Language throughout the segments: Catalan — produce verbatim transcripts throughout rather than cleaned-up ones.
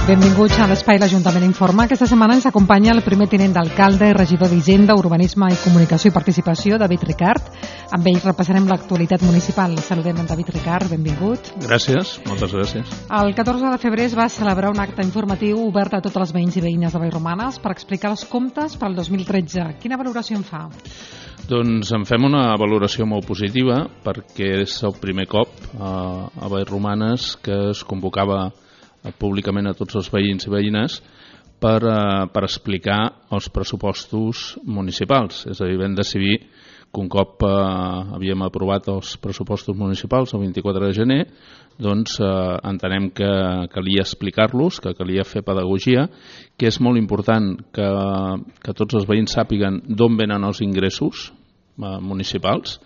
Benvinguts a l'Espai l'Ajuntament Informa. Aquesta setmana ens acompanya el primer tinent d'alcalde i regidor d'Hisenda, Urbanisme i Comunicació i Participació, David Ricart. Amb ell repassarem l'actualitat municipal. Saludem en David Ricart, benvingut. Gràcies, moltes gràcies. El catorze de febrer es va celebrar un acte informatiu obert a totes les veïns i veïnes de Vallromanes per explicar els comptes per al dos mil tretze. Quina valoració en fa? Doncs en fem una valoració molt positiva perquè és el primer cop a, a Vallromanes que es convocava públicament a tots els veïns i veïnes per, eh, per explicar els pressupostos municipals. És a dir, vam decidir que un cop eh, havíem aprovat els pressupostos municipals el vint-i-quatre de gener, doncs eh, entenem que calia explicar-los, que calia fer pedagogia, que és molt important que, que tots els veïns sàpiguen d'on venen els ingressos eh, municipals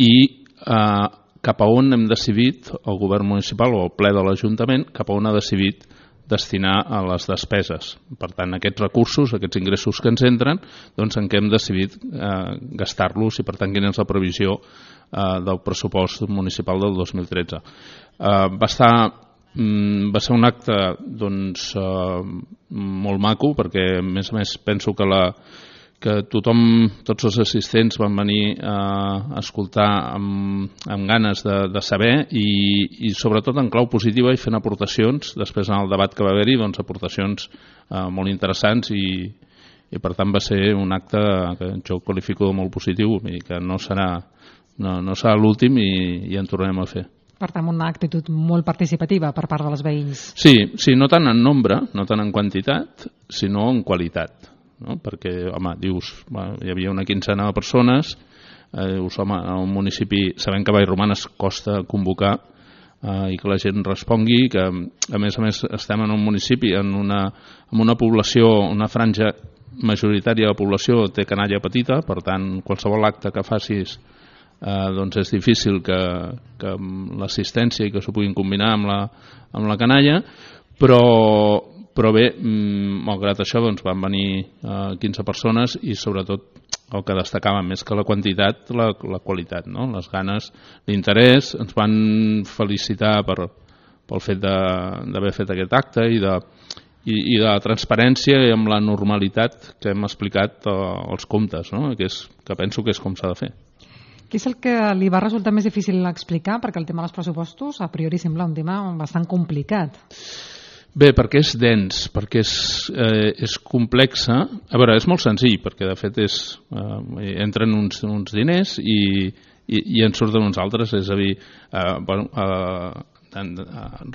i eh, cap a on hem decidit, el govern municipal o el ple de l'Ajuntament, cap a on ha decidit destinar a les despeses. Per tant, aquests recursos, aquests ingressos que ens entren, doncs en què hem decidit eh, gastar-los i, per tant, quina és la previsió eh, del pressupost municipal del dos mil tretze. Eh, va estar... Va ser un acte doncs, eh, molt maco perquè, a més a més, penso que la que tothom, tots els assistents van venir a escoltar amb, amb ganes de, de saber i, i sobretot en clau positiva i fent aportacions, després en el debat que va haver-hi, doncs aportacions eh, molt interessants i, i per tant va ser un acte que jo qualifico de molt positiu i que no serà, no, no serà l'últim i, i en tornarem a fer. Per tant, una actitud molt participativa per part de les veïns. Sí, sí, no tant en nombre, no tant en quantitat, sinó en qualitat. No? Perquè, home, dius, bueno, hi havia una quinzena de persones, eh, dius, home, a un municipi, sabem que a Vallromanes costa convocar eh, i que la gent respongui, que a més a més estem en un municipi, en una, en una població, una franja majoritària de la població té canalla petita, per tant, qualsevol acte que facis eh, doncs és difícil que, que l'assistència i que s'ho puguin combinar amb la, amb la canalla, però Però bé, malgrat això, doncs, van venir eh, quinze persones i sobretot el que destacava més que la quantitat, la, la qualitat, no? Les ganes, l'interès, ens van felicitar per, pel fet d'haver fet aquest acte i de, i, i de la transparència i amb la normalitat que hem explicat eh, els comptes, no? que, és, que penso que és com s'ha de fer. Què és el que li va resultar més difícil explicar? Perquè el tema dels pressupostos a priori sembla un tema bastant complicat. Bé, perquè és dens, perquè és, eh, és complexa. A veure, és molt senzill, perquè de fet és, eh, entren uns, uns diners i, i, i en surten uns altres, és a dir, eh, bueno, eh,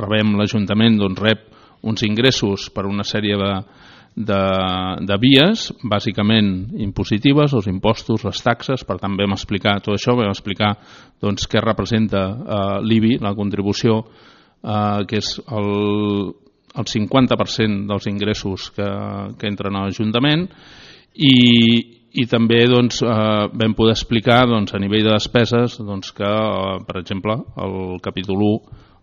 rebem l'Ajuntament, doncs rep uns ingressos per una sèrie de, de, de vies, bàsicament impositives, els impostos, les taxes, per tant vam explicar tot això, vam explicar doncs, què representa eh, l'I B I, la contribució, eh, que és el el cinquanta per cent dels ingressos que, que entren a l'Ajuntament i, i també doncs, eh, vam poder explicar doncs, a nivell de despeses doncs, que, eh, per exemple, el capítol u,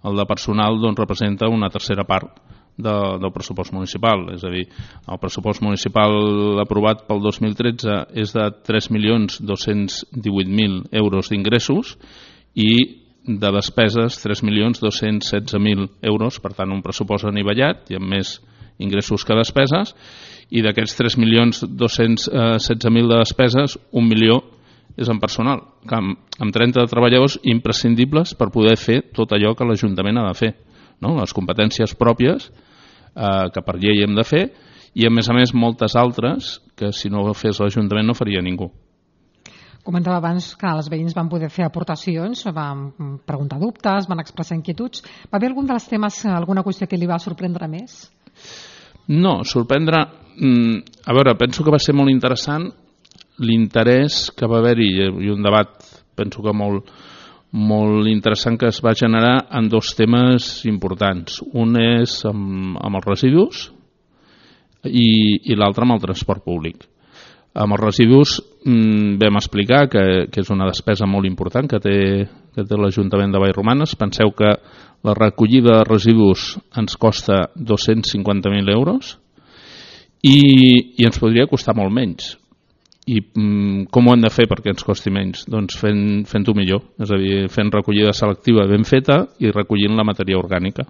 el de personal, doncs, representa una tercera part de, del pressupost municipal. És a dir, el pressupost municipal aprovat pel dos mil tretze és de tres milions dos-cents divuit mil euros d'ingressos i de despeses tres milions dos-cents setze mil euros, per tant un pressupost anivellat i amb més ingressos que despeses, i d'aquests tres milions dos-cents setze mil de despeses, un milió és en personal, que amb, amb trenta treballadors imprescindibles per poder fer tot allò que l'Ajuntament ha de fer, no? Les competències pròpies eh, que per llei hem de fer i a més a més moltes altres que si no ho fes l'Ajuntament no faria ningú. Comentava abans que els veïns van poder fer aportacions, van preguntar dubtes, van expressar inquietuds. Va haver algun dels temes, alguna qüestió que li va sorprendre més? No, sorprendre... A veure, penso que va ser molt interessant l'interès que va haver-hi i un debat, penso que molt, molt interessant que es va generar en dos temes importants. Un és amb, amb els residus i, i l'altre amb el transport públic. Amb els residus mmm, vam explicar que, que és una despesa molt important que té, que té l'Ajuntament de Vallromanes. Penseu que la recollida de residus ens costa dos-cents cinquanta mil euros i, i ens podria costar molt menys. I mmm, com ho hem de fer perquè ens costi menys? Doncs fent, fent-ho millor, és a dir, fent recollida selectiva ben feta i recollint la matèria orgànica.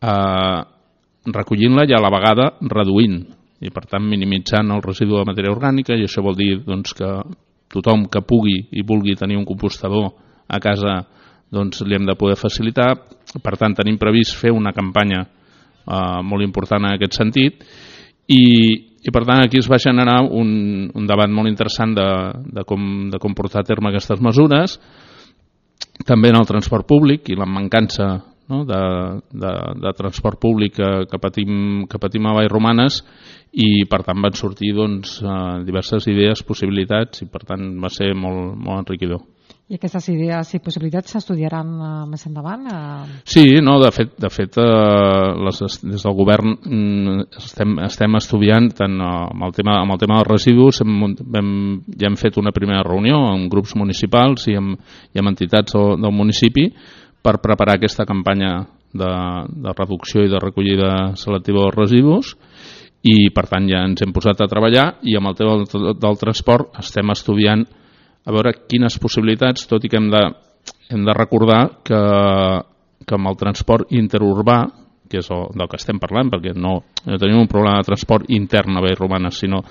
Uh, recollint-la i a la vegada reduint, i per tant minimitzant el residu de matèria orgànica, i això vol dir doncs, que tothom que pugui i vulgui tenir un compostador a casa doncs, li hem de poder facilitar. Per tant, tenim previst fer una campanya eh, molt important en aquest sentit, i, i per tant aquí es va generar un, un debat molt interessant de, de, com, de com portar a terme aquestes mesures, també en el transport públic i la mancança, no, de, de, de transport públic que, que, patim, que patim a Vallromanes, i per tant van sortir doncs, diverses idees, possibilitats, i per tant va ser molt, molt enriquidor. I aquestes idees i possibilitats s'estudiaran uh, més endavant? Uh... Sí, no, de fet, de fet uh, les, des del govern mm, estem, estem estudiant tant uh, amb, el tema, amb el tema dels residus. Hem, hem, ja hem fet una primera reunió amb grups municipals i amb, i amb entitats del, del municipi per preparar aquesta campanya de, de reducció i de recollida selectiva dels residus, i per tant ja ens hem posat a treballar, i amb el tema del, del transport estem estudiant a veure quines possibilitats, tot i que hem de, hem de recordar que, que amb el transport interurbà, que és el, del que estem parlant, perquè no, no tenim un problema de transport intern a Vallromanes, sinó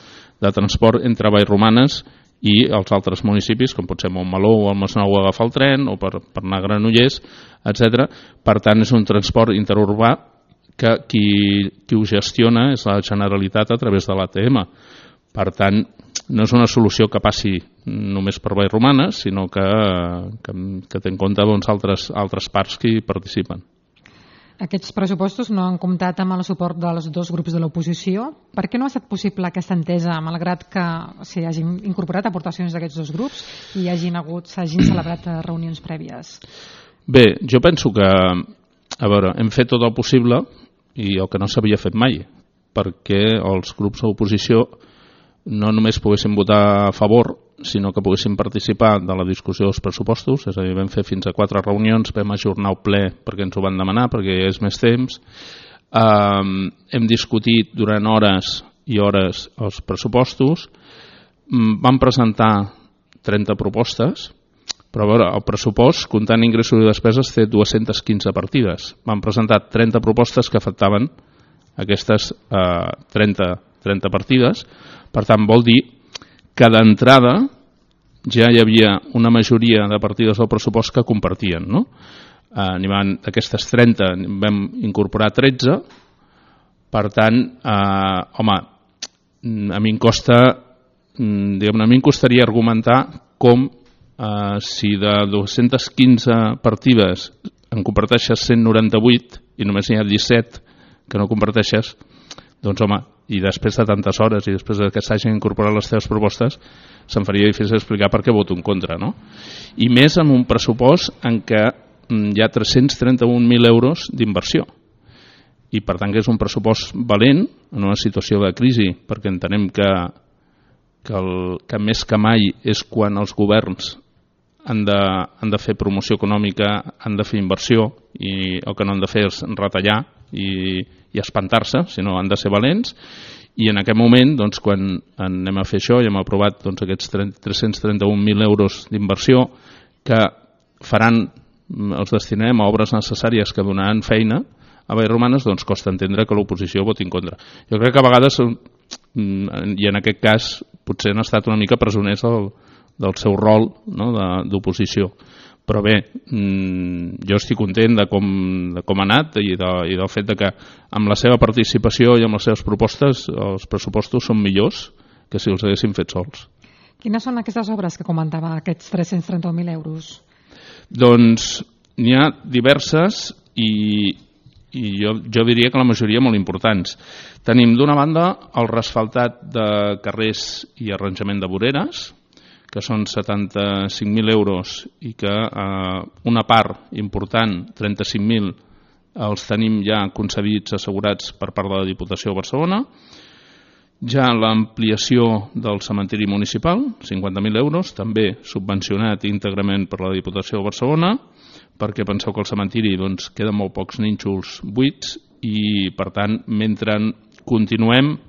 de transport entre Vallromanes i els altres municipis, com pot ser Montmeló o el Masnou, a agafar el tren, o per, per anar a Granollers, etcètera. Per tant, és un transport interurbà que qui, qui ho gestiona és la Generalitat a través de l'A T M. Per tant, no és una solució que passi només per Vallromanes, sinó que, que, que té en compte doncs, altres, altres parts que hi participen. Aquests pressupostos no han comptat amb el suport dels dos grups de l'oposició. Per què no ha estat possible aquesta entesa, malgrat que s'hi hagin incorporat aportacions d'aquests dos grups i hagin hagut, s'hagin celebrat reunions prèvies? Bé, jo penso que, a veure, hem fet tot el possible i el que no s'havia fet mai, perquè els grups de l'oposició no només poguessin votar a favor, sinó que poguessin participar de la discussió dels pressupostos. És a dir, vam fer fins a quatre reunions, vam ajornar el ple perquè ens ho van demanar, perquè hi és més temps. Um, hem discutit durant hores i hores els pressupostos. Um, vam presentar trenta propostes, però a veure, el pressupost, comptant ingressos i despeses, té dues-centes quinze partides. Vam presentar trenta propostes que afectaven aquestes uh, trenta, trenta partides. Per tant, vol dir que d'entrada ja hi havia una majoria de partides del pressupost que compartien, no? Eh, d'aquestes trenta vam incorporar tretze, per tant, eh, home, a mi em costa, diguem-ne, a mi em costaria argumentar com eh, si de dues-centes quinze partides en comparteixes cent noranta-vuit i només n'hi ha disset que no comparteixes, doncs home, i després de tantes hores i després que s'hagin incorporat les teves propostes, se'm faria difícil explicar per què voto en contra, no? I més amb un pressupost en què hi ha tres-cents trenta-un mil euros d'inversió. I per tant que és un pressupost valent en una situació de crisi, perquè entenem que, que, el, que més que mai és quan els governs han de, han de fer promoció econòmica, han de fer inversió, i el que no han de fer és retallar i, i espantar-se, sinó han de ser valents. I en aquest moment, doncs, quan anem a fer això i hem aprovat doncs, aquests tres-cents trenta-un mil euros d'inversió que faran, els destinarem a obres necessàries que donaran feina a Vallromanes, doncs costa entendre que l'oposició voti en contra. Jo crec que a vegades, i en aquest cas potser han estat una mica presoners del, del seu rol, no?, d'oposició. Però bé, jo estic content de com, de com ha anat i, de, i del fet de que amb la seva participació i amb les seves propostes els pressupostos són millors que si els haguéssim fet sols. Quines són aquestes obres que comentava, aquests tres-cents trenta-un mil euros? Doncs n'hi ha diverses i, i jo, jo diria que la majoria molt importants. Tenim d'una banda el resfaltat de carrers i arranjament de voreres, que són setanta-cinc mil euros i que eh, una part important, trenta-cinc mil, els tenim ja concedits, assegurats per part de la Diputació de Barcelona. Ja l'ampliació del cementiri municipal, cinquanta mil euros, també subvencionat íntegrament per la Diputació de Barcelona, perquè penseu que al cementiri doncs, queden molt pocs nínxols buits i, per tant, mentre continuem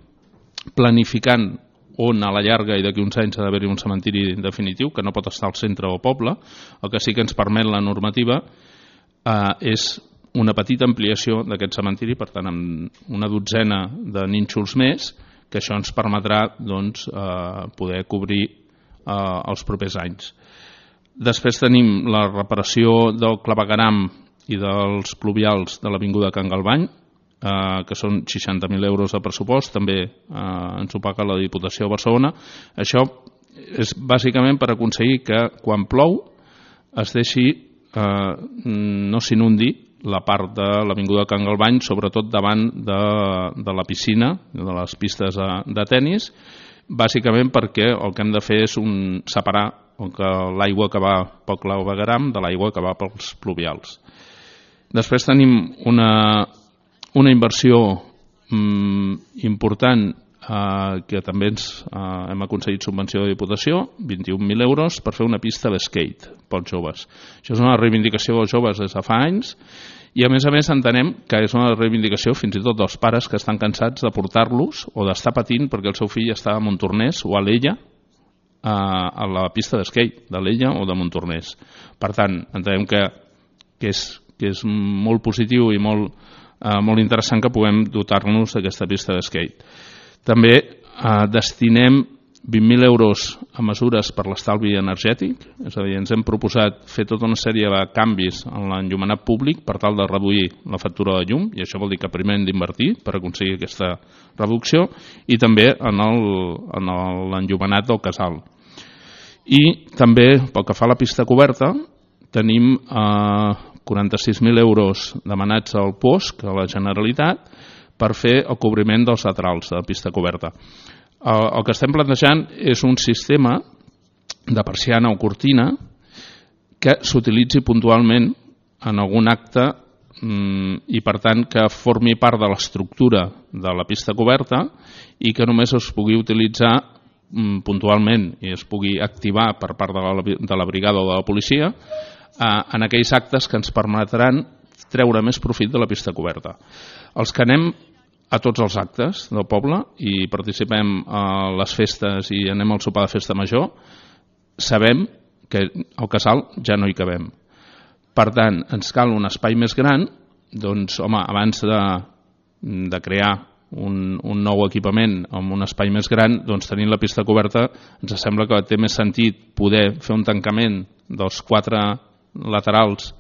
planificant on a la llarga i d'aquí uns anys ha d'haver-hi un cementiri definitiu, que no pot estar al centre del poble, el que sí que ens permet la normativa eh, és una petita ampliació d'aquest cementiri, per tant, amb una dotzena de nínxols més, que això ens permetrà doncs, eh, poder cobrir eh, els propers anys. Després tenim la reparació del clavegueram i dels pluvials de l'Avinguda Can Galvany, eh, que són seixanta mil euros de pressupost, també eh, ens ho paga la Diputació de Barcelona. Això és bàsicament per aconseguir que quan plou es deixi, eh, no s'inundi la part de l'Avinguda Can Galvany, sobretot davant de, de la piscina, de les pistes de, de tennis, bàsicament perquè el que hem de fer és un, separar l'aigua que va pel clavegueram de l'aigua que va pels pluvials. Després tenim una, una inversió mm, important eh, que també ens, eh, hem aconseguit subvenció de Diputació, vint-i-un mil euros, per fer una pista de skate pels joves. Això és una reivindicació dels joves des de fa anys i a més a més entenem que és una reivindicació fins i tot dels pares que estan cansats de portar-los o d'estar patint perquè el seu fill està a Montornès o a l'Ella a la pista d'esquate de l'Ella o de Montornès. Per tant, entenem que, que, és, que és molt positiu i molt, eh, molt interessant que puguem dotar-nos d'aquesta pista d'esquate. També eh, destinem vint mil euros a mesures per l'estalvi energètic, és a dir, ens hem proposat fer tota una sèrie de canvis en l'enllumenat públic per tal de reduir la factura de llum, i això vol dir que primer hem d'invertir per aconseguir aquesta reducció, i també en l'enllumenat del casal. I també, pel que fa a la pista coberta, tenim eh, quaranta-sis mil euros demanats al P O S C, a la Generalitat, per fer el cobriment dels laterals de la pista coberta. El que estem plantejant és un sistema de persiana o cortina que s'utilitzi puntualment en algun acte i per tant que formi part de l'estructura de la pista coberta i que només es pugui utilitzar puntualment i es pugui activar per part de la, de la brigada o de la policia en aquells actes que ens permetran treure més profit de la pista coberta. Els que anem a tots els actes del poble i participem a les festes i anem al sopar de festa major, sabem que al casal ja no hi cabem. Per tant, ens cal un espai més gran, doncs, home, abans de, de crear un, un nou equipament amb un espai més gran, doncs tenint la pista coberta ens sembla que té més sentit poder fer un tancament dels quatre laterals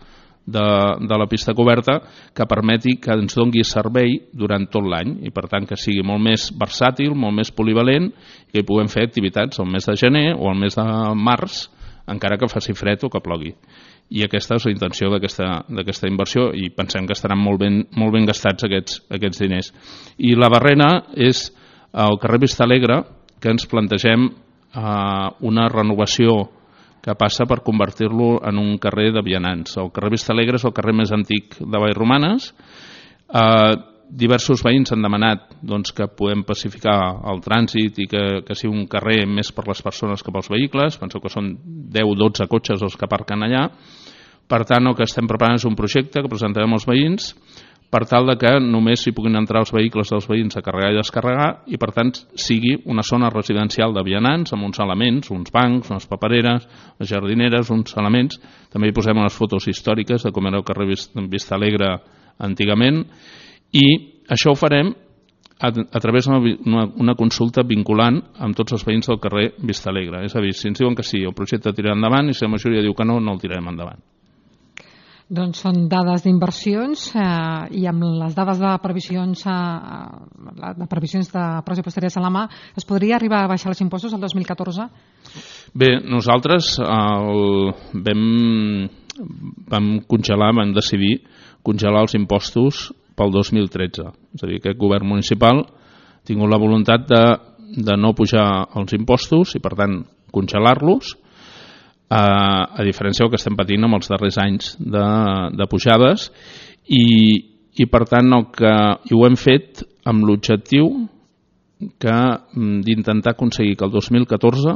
De, de la pista coberta que permeti que ens doni servei durant tot l'any i per tant que sigui molt més versàtil, molt més polivalent i que hi puguem fer activitats al mes de gener o al mes de març encara que faci fred o que plogui. I aquesta és la intenció d'aquesta inversió i pensem que estaran molt ben, molt ben gastats aquests, aquests diners. I la barrena és al carrer Vista Alegre que ens plantegem eh, una renovació que passa per convertir-lo en un carrer de vianants. El carrer Vista Alegre és el carrer més antic de Vallromanes. Eh, diversos veïns han demanat doncs, que podem pacificar el trànsit i que, que sigui un carrer més per les persones que pels vehicles. Penseu que són deu o dotze cotxes els que aparquen allà. Per tant, el que estem preparant és un projecte que presentarem als veïns per tal de que només hi puguin entrar els vehicles dels veïns a carregar i descarregar i per tant sigui una zona residencial de vianants amb uns elements, uns bancs, unes papereres, unes jardineres, uns elements. També hi posem unes fotos històriques de com era el carrer Vista Alegre antigament i això ho farem a, a través d'una una consulta vinculant amb tots els veïns del carrer Vista Alegre. És a dir, si ens diuen que sí, el projecte tirarà endavant i si la majoria diu que no, no el tirarem endavant. Doncs són dades d'inversions eh, i amb les dades de previsions, eh, de previsions de pressupostàries a la mà, es podria arribar a baixar els impostos el dos mil catorze? Bé, nosaltres el, vam, vam congelar, vam decidir congelar els impostos pel dos mil tretze. És a dir, aquest govern municipal ha tingut la voluntat de, de no pujar els impostos i, per tant, congelar-los, a, a diferència del que estem patint amb els darrers anys de, de pujades i, i per tant el que, i ho hem fet amb l'objectiu que d'intentar aconseguir que el dos mil catorze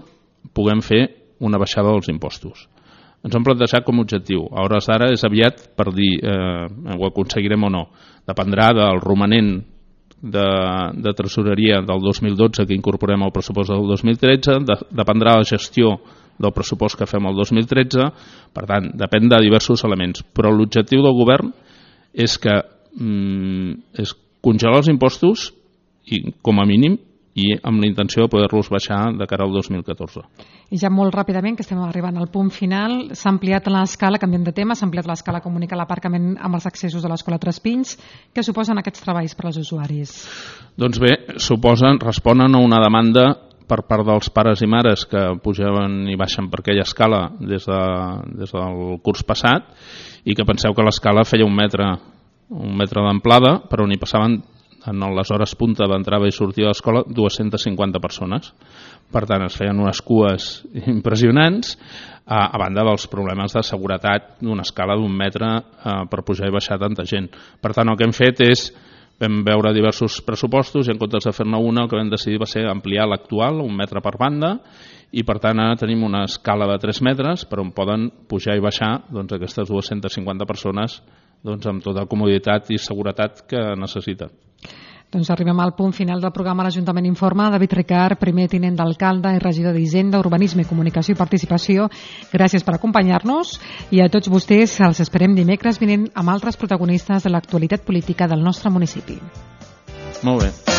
puguem fer una baixada dels impostos. Ens hem plantejat com a objectiu. A hores d'ara és aviat per dir eh, ho aconseguirem o no. Dependrà del romanent de, de tresoreria del dos mil dotze que incorporem al pressupost del dos mil tretze, de, dependrà de la gestió del pressupost que fem el dos mil tretze, per tant, depèn de diversos elements, però l'objectiu del govern és que mm, és congelar els impostos i, com a mínim, i amb la intenció de poder-los baixar de cara al dos mil catorze. I ja molt ràpidament, que estem arribant al punt final, s'ha ampliat l'escala, canviem de tema, s'ha ampliat l'escala comunica l'aparcament amb els accessos de l'Escola Tres Pins. Què suposen aquests treballs per als usuaris? Doncs bé, suposen, responen a una demanda per part dels pares i mares que pujaven i baixen per aquella escala des, de, des del curs passat i que penseu que l'escala feia un metre, un metre d'amplada, per on hi passaven en les hores punta d'entrada i sortida de l'escola dues-centes cinquanta persones. Per tant, es feien unes cues impressionants, a, a banda dels problemes de seguretat d'una escala d'un metre eh, per pujar i baixar tanta gent. Per tant, el que hem fet és, vam veure diversos pressupostos i en comptes de fer-ne una, el que vam decidir va ser ampliar l'actual, un metre per banda, i per tant ara tenim una escala de tres metres per on poden pujar i baixar doncs, aquestes dues-centes cinquanta persones doncs, amb tota comoditat i seguretat que necessiten. Doncs arribem al punt final del programa L'Ajuntament Informa. David Ricart, primer tinent d'alcalde i regidor d'Hisenda, Urbanisme, Comunicació i Participació, gràcies per acompanyar-nos i a tots vostès els esperem dimecres vinent amb altres protagonistes de l'actualitat política del nostre municipi. Molt bé.